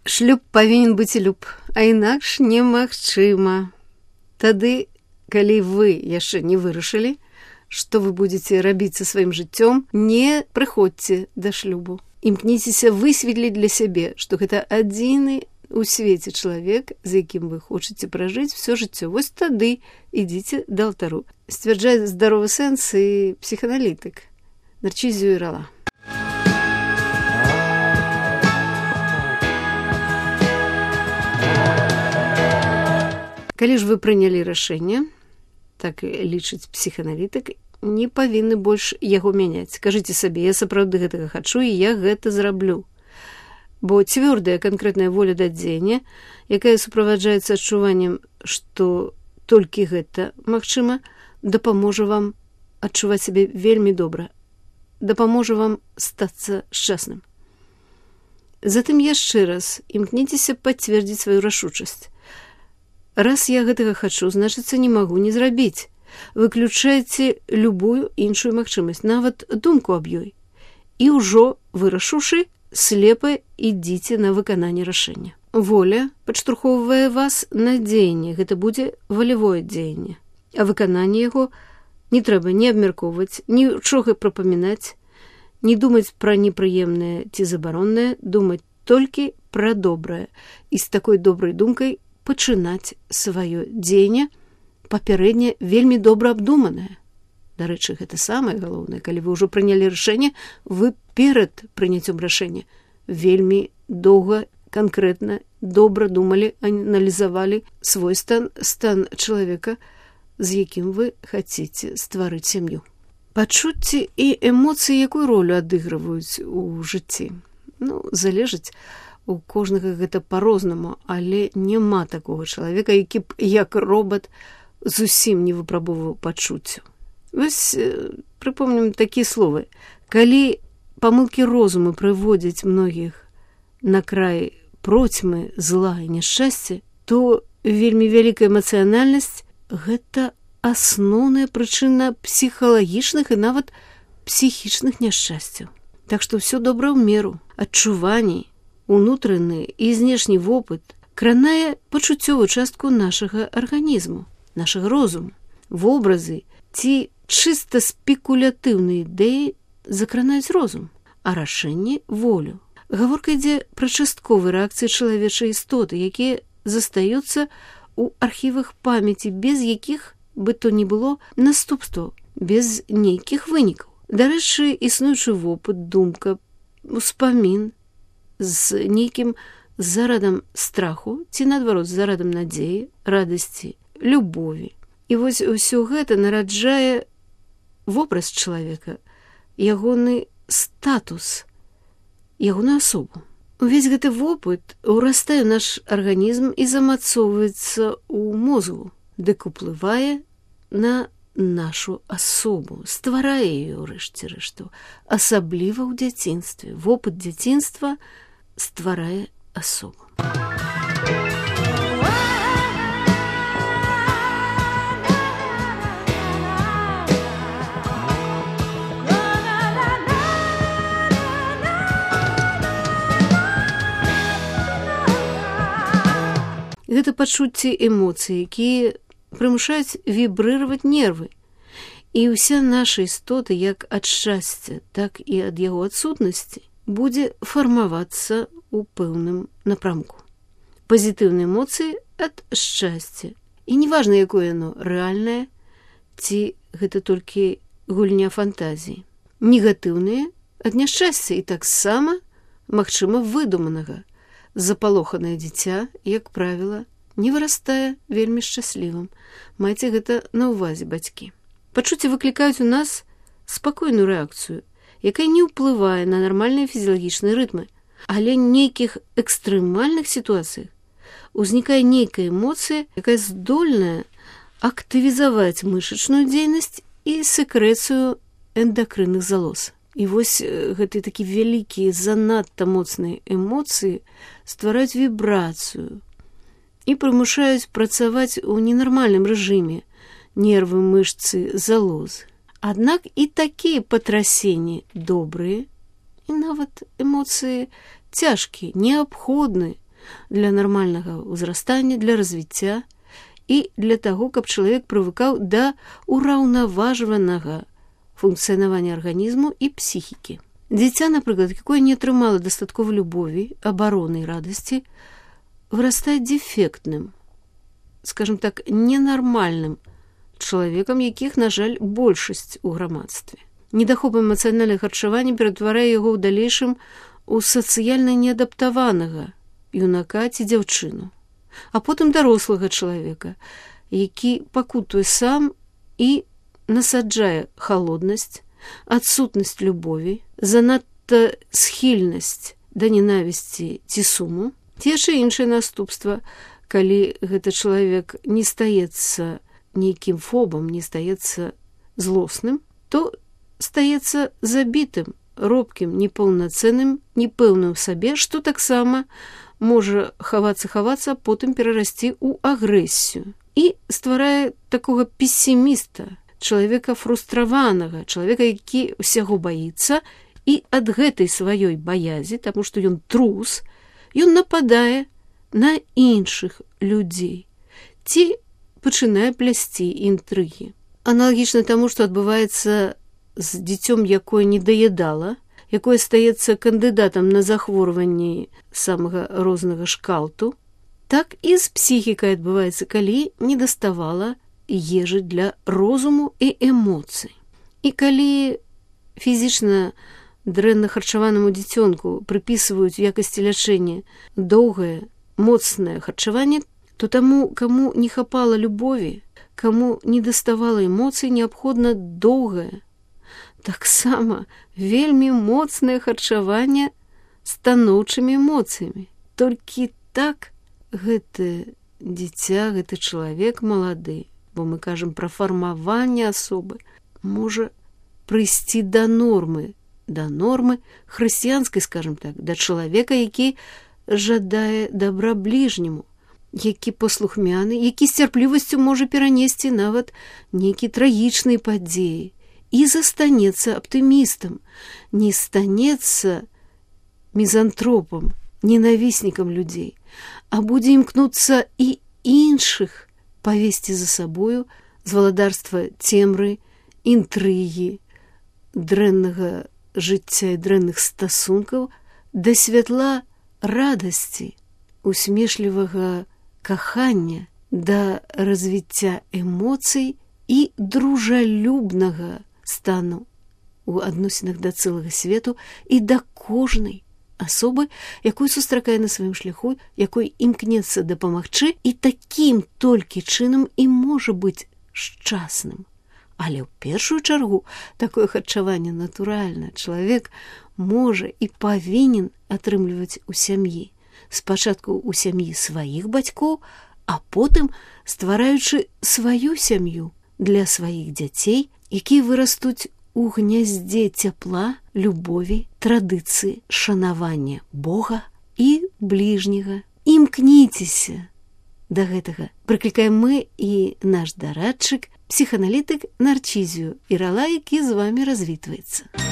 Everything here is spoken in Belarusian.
Шлюб павінен быць люб, а інакш немагчыма. Тады, калі вы яшчэ не вырашылі, што вы будзеце рабіць са сваім жыццём, не прыходзьце да шлюбу. Імкніцеся высветліць для сябе, што гэта адзіны у свеце чалавек, з якім вы хочаце пражыць всё жыццё. Вось тады ідзіце да алтару. Сцвярджае здаровы сэнс і псіханалітык Нарцізіо Ірала. Калі ж вы прынялі рашэнне, так лічыць псіханалітык, не павінны больш яго мяняць. Кажыце сабе, я сапраўды гэтага хачу, і я гэта зраблю. Бо цвёрдая канкрэтная воля да дзеяння, якая суправаджаецца адчуваннем, што толькі гэта магчыма, дапаможа вам адчуваць сябе вельмі добра, дапаможа вам стацца шчасным. Затым яшчэ раз імкніцеся пацвердзіць сваю рашучасць. Раз я гэтага хачу, значыцца, не магу не зрабіць. Выключайце любую іншую магчымасць, нават думку аб ёй. І ўжо вырашыўшы, слепа ідзіце на выкананне рашэння. Воля падштурхоўвае вас на дзеянне, гэта будзе валявое дзеянне. А выкананне яго не трэба ні абмяркоўваць, нічога прапамінаць, не думаць пра непрыемнае ці забароннае, думаць толькі пра добрае. І з такой добрай думкай пачынаць сваё дзеянне, папярэдне вельмі добра абдуманае. Дарэчы, гэта самае галоўнае, калі вы ўжо прынялі рашэнне, вы перад прыняццём рашэння вельмі доўга, канкрэтна, добра думалі, аналізавалі свой стан чалавека, з якім вы хацеце стварыць сям'ю. Пачуцці і эмоцыі якую ролю адыгрываюць у жыцці? Залежыць. У кожнага гэта па-рознаму, але няма такога чалавека, які б як робат зусім не выпрабоўваў пачуццю. Вось прыпомнім такія словы. Калі памылкі розуму прыводзяць многіх на край процьмы, зла і няшчасця, то вельмі вялікая эмацыянальнасць – гэта асноўная прычына псіхалагічных і нават псіхічных няшчасцяў. Так што ўсё добра ў меру. Адчуванні, унутраны і знешні вопыт кранае пачуццёвую частку нашага арганізму, нашага розуму. Вобразы ці чыста спекулятыўныя ідэі закранаюць розум, а рашэнне – волю. Гаворка ідзе пра частковыя рэакцыі чалавечай істоты, якія застаюцца ў архівах памяці, без якіх бы то ні было наступстваў, без нейкіх вынікаў. Дарэчы, існуючы вопыт, думка, успамін з нейкім зарадам страху ці, наадварот, зарадам надзеі, радасці, любові. І вось усё гэта нараджае вобраз чалавека, ягоны статус, ягоную асобу. Увесь гэты вопыт урастае ў наш арганізм і замацоўваецца ў мозгу, дык уплывае на нашу асобу, стварае яе ў рэшце рэшту, асабліва ў дзяцінстве. Вопыт дзяцінства стварае асобу. Гэта пачуцці эмоцый, якія прымушаюць вібрыраваць нервы. І ўся наша істота, як ад шчасця, так і ад яго адсутнасці, будзе фармавацца ў пэўным напрамку. Пазітыўныя эмоцыі ад шчасця. І неважна, якое яно, рэальнае, ці гэта толькі гульня фантазіі. Негатыўныя ад няшчасця і таксама, магчыма, выдуманага. Запалоханае дзіця, як правіла, не вырастае вельмі шчаслівым. Майце гэта на ўвазе, бацькі. Пачуцці выклікаюць у нас спакойную рэакцыю, якая не ўплывае на нармальныя фізіялагічныя рытмы, але нейкіх экстрэмальных сітуацыях узнікае нейкая эмоцыя, якая здольная актывізаваць мышачную дзейнасць і сэкрэцыю эндакрынных залоз. І вось гэтыя такі вялікія, занадта моцныя эмоцыі ствараюць вібрацыю і прымушаюць працаваць у ненармальным рэжыме нервы, мышцы, залозы. Аднак і такія патрасенні добрыя, і нават эмоцыі цяжкія, неабходныя, для нармальнага ўзрастання, для развіцця і для таго, каб чалавек прывыкаў да ўраўнаважванага функцыянавання арганізму і псіхікі. Дзіця, напрыклад, якое не атрымала дастаткова любові, абароны і радасці, вырастае дефектным, скажем так, ненармальным чалавекам, якіх, на жаль, большасць у грамадстве. Недахоп эмацыянальнага харчавання ператварае яго ў далейшым у сацыяльна неадаптаванага юнака ці дзяўчыну, а потым дарослага чалавека, які пакутуе сам і насаджае халоднасць, адсутнасць любові, занадта схільнасць да ненавісці ці суму, ці яшчэ іншае наступства, калі гэты чалавек не стаецца нейкім фобам, не стаецца злосным, то стаецца забітым, робкім, непаўнацэнным, непэўным сабе, што таксама можа хавацца, потым перарасці ў агрэсію і стварае такога песіміста, чалавека фрустраванага, чалавека, які ўсяго баіцца, і ад гэтай сваёй баязі, таму што ён трус, ён нападае на іншых людзей ці пачынае плясці інтрыгі. Аналагічна таму, што адбываецца з дзіцём, якое не даядала, якое стаецца кандыдатам на захворванні самага рознага шкалту, так і з псіхікай адбываецца, калі не даставала ежы для розуму і эмоцый. І калі фізічна дрэнна харчаванаму дзіцёнку прыпісваюць у якасці лячэння доўгае, моцнае харчаванне, то таму, каму не хапала любові, каму не даставала эмоцый, неабходна доўгае, таксама вельмі моцнае харчаванне станоўчымі эмоцыямі. Толькі так гэтае дзіця, гэты чалавек малады, бо мы кажам пра фармаванне асобы, можа прыйсці да нормы хрысціянскай, скажем так, да чалавека, які жадае дабра бліжняму, які паслухмяны, які з цярплівасцю можа перанесці нават нейкі трагічныя падзеі і застанецца аптымістам, не станецца мізантропам, ненавіснікам людзей, а будзе імкнуцца і іншых павесці за сабою з валадарства цемры, інтрыгі, дрэннага жыцця і дрэнных стасункаў да святла радасці, усмешлівага кахання, да развіцця эмоцый і дружалюбнага стану у адносінах да цэлага свету і да кожнай асобы, якую сустракае на сваім шляху, якой імкнецца дапамагчы, і такім толькі чынам і можа быць шчасным. Але ў першую чаргу такое харчаванне натуральна чалавек можа і павінен атрымліваць у сям'і. Спачатку ў сям'і сваіх бацькоў, а потым ствараючы сваю сям'ю для сваіх дзяцей, якія вырастуць у гняздзе цяпла, любові, традыцыі, шанавання Бога і бліжняга. Імкніцеся да гэтага. Прыклікаем мы і наш дарадчык, псіханалітык Нарцізію Ірала, які з вамі развітваецца.